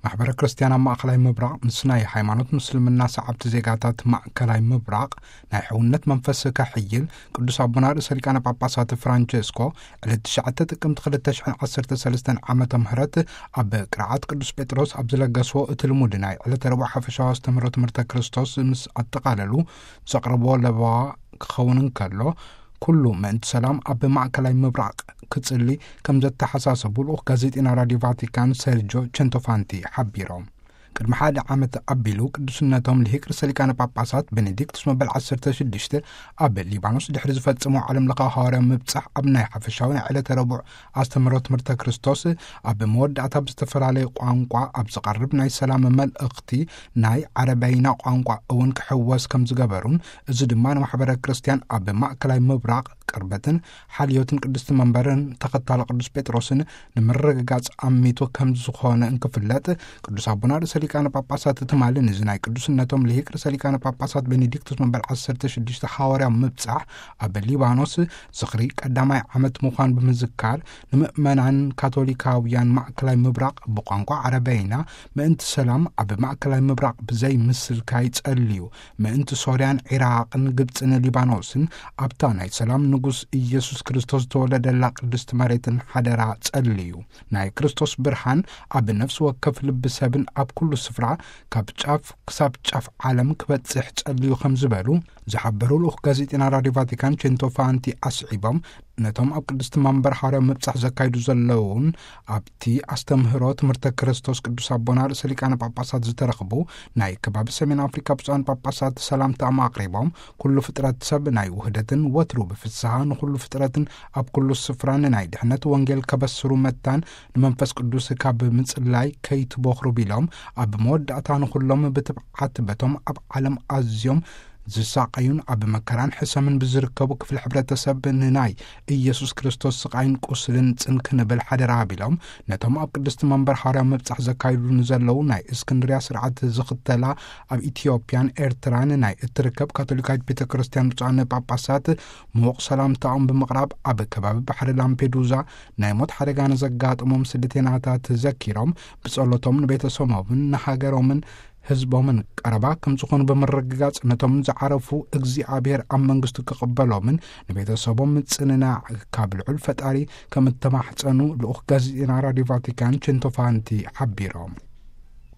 ማሕበረ ክርስቲያን ኣብ ማእከላይ ምብራቕ ምስ ናይ ሃይማኖት ምስልምና ሰዓብቲ ዜጋታት ማእከላይ ምብራቕ ናይ ሕውነት መንፈስ ከሕይል፣ ቅዱስ ኣቦና ርእሰ ሊቃነ ጳጳሳት ፍራንቸስኮ ዕለት ትሽዓተ ጥቅምቲ ክልተ ሽሕን ዓሰርተ ሰለስተን ዓመተ ምህረት ኣብ ቅርዓት ቅዱስ ጴጥሮስ ኣብ ዝለገስዎ እቲ ልሙድ ናይ ዕለተ ረቡዕ ሓፈሻዊ ኣስተምህሮ ትምህርተ ክርስቶስ ምስ ኣጠቓለሉ ዘቕረብዎ ለበዋ ክኸውን እንከሎ፣ ኩሉ ምእንቲ ሰላም ኣብ ማእከላይ ምብራቕ ክጽሊ ከም ዘተሓሳሰቡ ልኡኽ ጋዜጢና ራዲዮ ቫቲካን ሰርጆ ቸንቶፋንቲ ሓቢሮም። ቅድሚ ሓደ ዓመት ኣቢሉ ቅዱስነቶም ልሂቅ ርእሰ ሊቃነ ጳጳሳት ቤኔዲክቱስ መበል ዓሰርተ ሽዱሽተ ኣብ ሊባኖስ ድሕሪ ዝፈጸሞ ዓለም ለኻዊ ሃዋርያዊ ምብጻሕ ኣብ ናይ ሓፈሻዊ ናይ ዕለተ ረቡዕ ኣስተምህሮ ትምህርተ ክርስቶስ ኣብ መወዳእታ ብዝተፈላለየ ቋንቋ ኣብ ዝቐርብ ናይ ሰላም መልእኽቲ ናይ ዓረበይና ቋንቋ እውን ክሕወስ ከም ዝገበሩን፣ እዚ ድማ ንማሕበረ ክርስቲያን ኣብ ማእከላይ ምብራቕ ቅርበትን ሓልዮትን ቅድስቲ መንበርን ተኸታሊ ቅዱስ ጴጥሮስን ንምርግጋጽ ኣሚቱ ከም ዝኾነ እንክፍለጥ፣ ቅዱስ ኣቦና ርእሰ ሊቃነ ጳጳሳት ትማሊ ንዚ ናይ ቅዱስነቶም ልሂቅ ርእሰ ሊቃነ ጳጳሳት ቤኔዲክቱስ መበል ዓሰርተ ሽዱሽተ ሃዋርያዊ ምብጻሕ ኣብ ሊባኖስ ዝኽሪ ቀዳማይ ዓመት ምዃን ብምዝካር፣ ንምእመናን ካቶሊካውያን ማእከላይ ምብራቕ ብቋንቋ ዓረበይና ምእንቲ ሰላም ኣብ ማእከላይ ምብራቕ ብዘይ ምስልካይ ጸልዩ፣ ምእንቲ ሶርያን ዒራቕን ግብጽን ሊባኖስን ኣብታ ናይ ሰላም ንጉስ ኢየሱስ ክርስቶስ ዝተወለደላ ቅድስቲ መሬትን ሓደራ ጸልዩ። ናይ ክርስቶስ ብርሃን ኣብ ነፍሲ ወከፍ ልቢ ሰብን ኣብ ኩሉ ስፍራ ካብ ጫፍ ክሳብ ጫፍ ዓለም ክበጽሕ ጸልዩ ከም ዝበሉ ዝሓበሩ ልኡኽ ጋዜጢና ራዲዮ ቫቲካን ቼንቶፋንቲ ኣስዒቦም፣ ነቶም ኣብ ቅድስቲ መንበር ሓዋርያዊ ምብጻሕ ዘካይዱ ዘለውን ኣብቲ ኣስተምህሮ ትምህርተ ክርስቶስ ቅዱስ ኣቦና ርእሰ ሊቃነ ጳጳሳት ዝተረኽቡ ናይ ከባቢ ሰሜን ኣፍሪካ ብፁዓን ጳጳሳት ሰላምታኦም ኣቕሪቦም፣ ኩሉ ፍጥረት ሰብ ናይ ውህደትን ወትሩ ብፍስሃ ንኹሉ ፍጥረትን ኣብ ኩሉ ስፍራን ናይ ድሕነት ወንጌል ከበስሩ መታን ንመንፈስ ቅዱስ ካብ ምጽላይ ከይትቦኽሩ ቢሎም፣ ኣብ መወዳእታ ንኹሎም ብትብዓት በቶም ኣብ ዓለም ኣዝዮም ዝሳቐዩን ኣብ መከራን ሕሰምን ብዝርከቡ ክፍሊ ሕብረተሰብ ንናይ ኢየሱስ ክርስቶስ ስቓይን ቁስልን ጽን ክንብል ሓደራ ቢሎም፣ ነቶም ኣብ ቅድስቲ መንበር ሓዋርያዊ ምብጻሕ ዘካይዱ ንዘለዉ ናይ እስክንድርያ ስርዓት ዝኽተላ ኣብ ኢትዮጵያን ኤርትራን ናይ እትርከብ ካቶሊካዊት ቤተ ክርስቲያን ብፁዓን ጳጳሳት ምዉቕ ሰላምታኦም ብምቕራብ፣ ኣብ ከባቢ ባሕሪ ላምፔዱዛ ናይ ሞት ሓደጋ ንዘጋጠሞም ስደተኛታት ዘኪሮም፣ ብጸሎቶም ንቤተሰቦምን ንሃገሮምን ህዝቦምን ቀረባ ከም ዝኾኑ ብምርግጋጽ፣ ነቶም ዝዓረፉ እግዚኣብሔር ኣብ መንግስቱ ክቕበሎምን ንቤተሰቦም ምጽንናዕ ካብ ልዑል ፈጣሪ ከም እተማሕጸኑ ልኡኽ ጋዜጠና ራዲዮ ቫቲካን ቼንቶፋንቲ ሓቢሮም።